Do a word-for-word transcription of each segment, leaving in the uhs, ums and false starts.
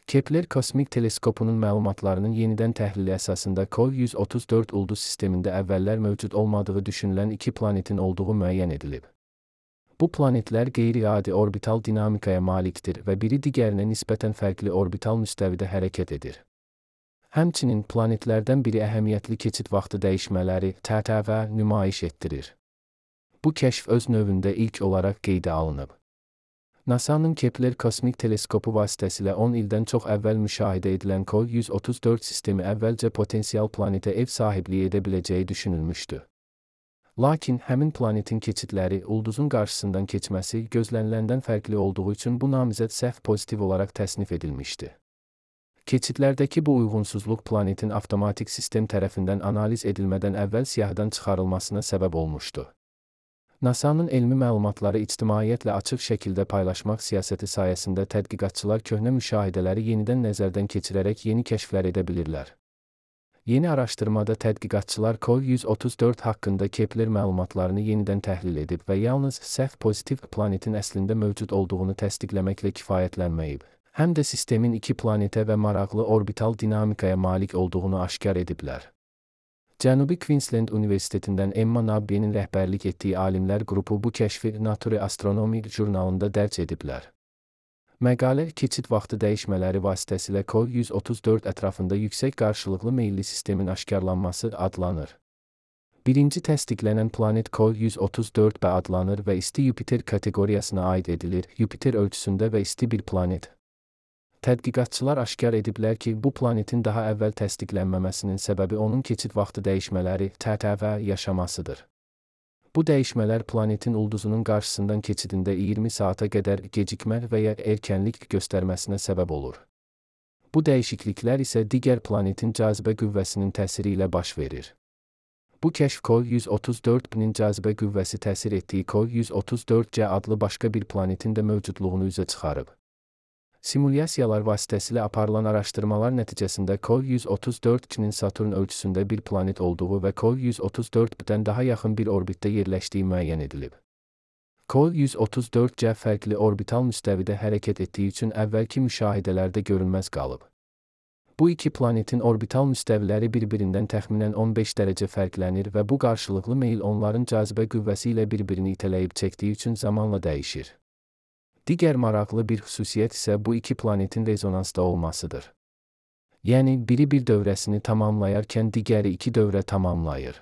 Kepler kosmik teleskopunun məlumatlarının yenidən təhlili əsasında Kol yüz otuz dörd ulduz sistemində əvvəllər mövcud olmadığı düşünülən iki planetin olduğu müəyyən edilib. Bu planetlər qeyri-adi orbital dinamikaya malikdir və biri digərinə nisbətən fərqli orbital müstəvidə hərəkət edir. Həmçinin planetlərdən biri əhəmiyyətli keçid vaxtı dəyişmələri T T V nümayiş etdirir. Bu kəşf öz növündə ilk olaraq qeydə alınıb. NASA'nın Kepler kosmik teleskopu vasitəsilə on ildən çox əvvəl müşahidə edilən Kol yüz otuz dörd sistemi əvvəlcə potensial planetə ev sahibliyi edə biləcəyi düşünülmüşdü. Lakin həmin planetin keçidləri ulduzun qarşısından keçməsi gözləniləndən fərqli olduğu üçün bu namizəd səhv pozitiv olaraq təsnif edilmişdi. Keçidlərdəki bu uyğunsuzluq planetin avtomatik sistem tərəfindən analiz edilmədən əvvəl siyahıdan çıxarılmasına səbəb olmuşdu. NASA'nın elmi məlumatları ictimaiyyətlə açıq şəkildə paylaşmaq siyasəti sayəsində tədqiqatçılar köhnə müşahidələri yenidən nəzərdən keçirərək yeni kəşflər edə bilirlər. Yeni araşdırmada tədqiqatçılar Kol yüz otuz dörd haqqında Kepler məlumatlarını yenidən təhlil edib və yalnız səhv pozitiv planetin əslində mövcud olduğunu təsdiqləməklə kifayətlənməyib, həm də sistemin iki planetə və maraqlı orbital dinamikaya malik olduğunu aşkar ediblər. Cənubi Queensland Universitetindən Emma Nabby'nin rəhbərlik etdiyi alimlər qrupu bu kəşfi Nature Astronomy jurnalında dərc ediblər. Məqalə keçid vaxtı dəyişmələri vasitəsilə Kol yüz otuz dörd ətrafında yüksək qarşılıqlı meyilli sistemin aşkarlanması adlanır. Birinci təsdiqlənən planet Kol yüz otuz dörd B adlanır və isti Yupiter kateqoriyasına aid edilir, Yupiter ölçüsündə və isti bir planet. Tədqiqatçılar aşkar ediblər ki, bu planetin daha əvvəl təsdiqlənməməsinin səbəbi onun keçid vaxtı dəyişmələri T T V yaşamasıdır. Bu dəyişmələr planetin ulduzunun qarşısından keçidində iyirmi saata qədər gecikmə və ya erkənlik göstərməsinə səbəb olur. Bu dəyişikliklər isə digər planetin cazibə qüvvəsinin təsiri ilə baş verir. Bu kəşf Kol yüz otuz dörd B'nin cazibə qüvvəsi təsir etdiyi Kol yüz otuz dörd C adlı başqa bir planetin də mövcudluğunu üzə çıxarıb. Simulyasiyalar vasitəsilə aparılan araşdırmalar nəticəsində Kol yüz otuz dörd C'nin Saturn ölçüsündə bir planet olduğu və Kol yüz otuz dörd B'dən daha yaxın bir orbitdə yerləşdiyi müəyyən edilib. Kol yüz otuz dörd C fərqli orbital müstəvidə hərəkət etdiyi üçün əvvəlki müşahidələrdə görünməz qalıb. Bu iki planetin orbital müstəviləri bir-birindən təxminən on beş dərəcə fərqlənir və bu qarşılıqlı meyil onların cazibə qüvvəsi ilə bir-birini itələyib çəkdiyi üçün zamanla dəyişir. Digər maraqlı bir xüsusiyyət isə bu iki planetin rezonansda olmasıdır. Yəni, biri bir dövrəsini tamamlayarkən digəri iki dövrə tamamlayır.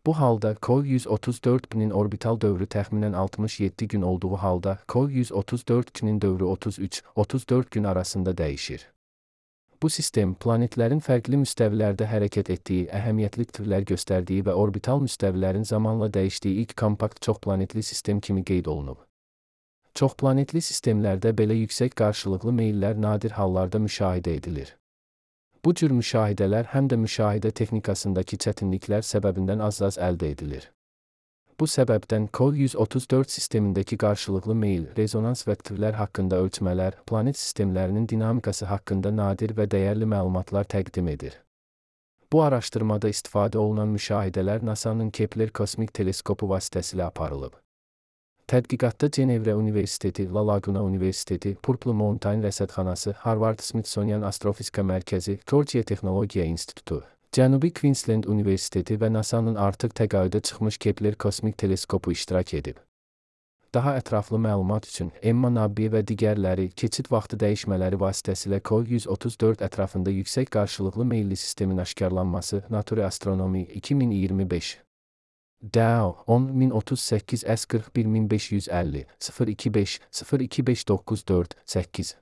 Bu halda Kol yüz otuz dörd B'nin orbital dövrü təxminən altmış yeddi gün olduğu halda Kol yüz otuz dörd C'nin dövrü otuz üç otuz dörd gün arasında dəyişir. Bu sistem planetlərin fərqli müstəvilərdə hərəkət etdiyi, əhəmiyyətli türlər göstərdiyi və orbital müstəvilərin zamanla dəyişdiyi ilk kompakt çoxplanetli sistem kimi qeyd olunub. Çoxplanetli sistemlərdə belə yüksək qarşılıqlı meyillər nadir hallarda müşahidə edilir. Bu cür müşahidələr həm də müşahidə texnikasındakı çətinliklər səbəbindən az-az əldə edilir. Bu səbəbdən Kol yüz otuz dörd sistemindəki qarşılıqlı meyil, rezonans və türlər haqqında ölçmələr, planet sistemlərinin dinamikası haqqında nadir və dəyərli məlumatlar təqdim edir. Bu araşdırmada istifadə olunan müşahidələr NASA'nın Kepler kosmik teleskopu vasitəsilə aparılıb. Tədqiqatda Cenevre Universiteti, La Laguna Universiteti, Purple Mountain Rəsədxanası, Harvard-Smithsonian Astrofizika Mərkəzi, Georgia Texnologiya İnstitutu, Cənubi Queensland Universiteti və NASA'nın artıq təqaüdə çıxmış Kepler kosmik teleskopu iştirak edib. Daha ətraflı məlumat üçün Emma Nabby və digərləri keçid vaxtı dəyişmələri vasitəsilə Kol yüz otuz dörd ətrafında yüksək qarşılıqlı meyilli sistemin aşkarlanması Nature Astronomy iki min iyirmi beş. D A O on min otuz səkkiz S qırx bir min beş yüz əlli sıfır iki beş sıfır iki beş doqquz dörd səkkiz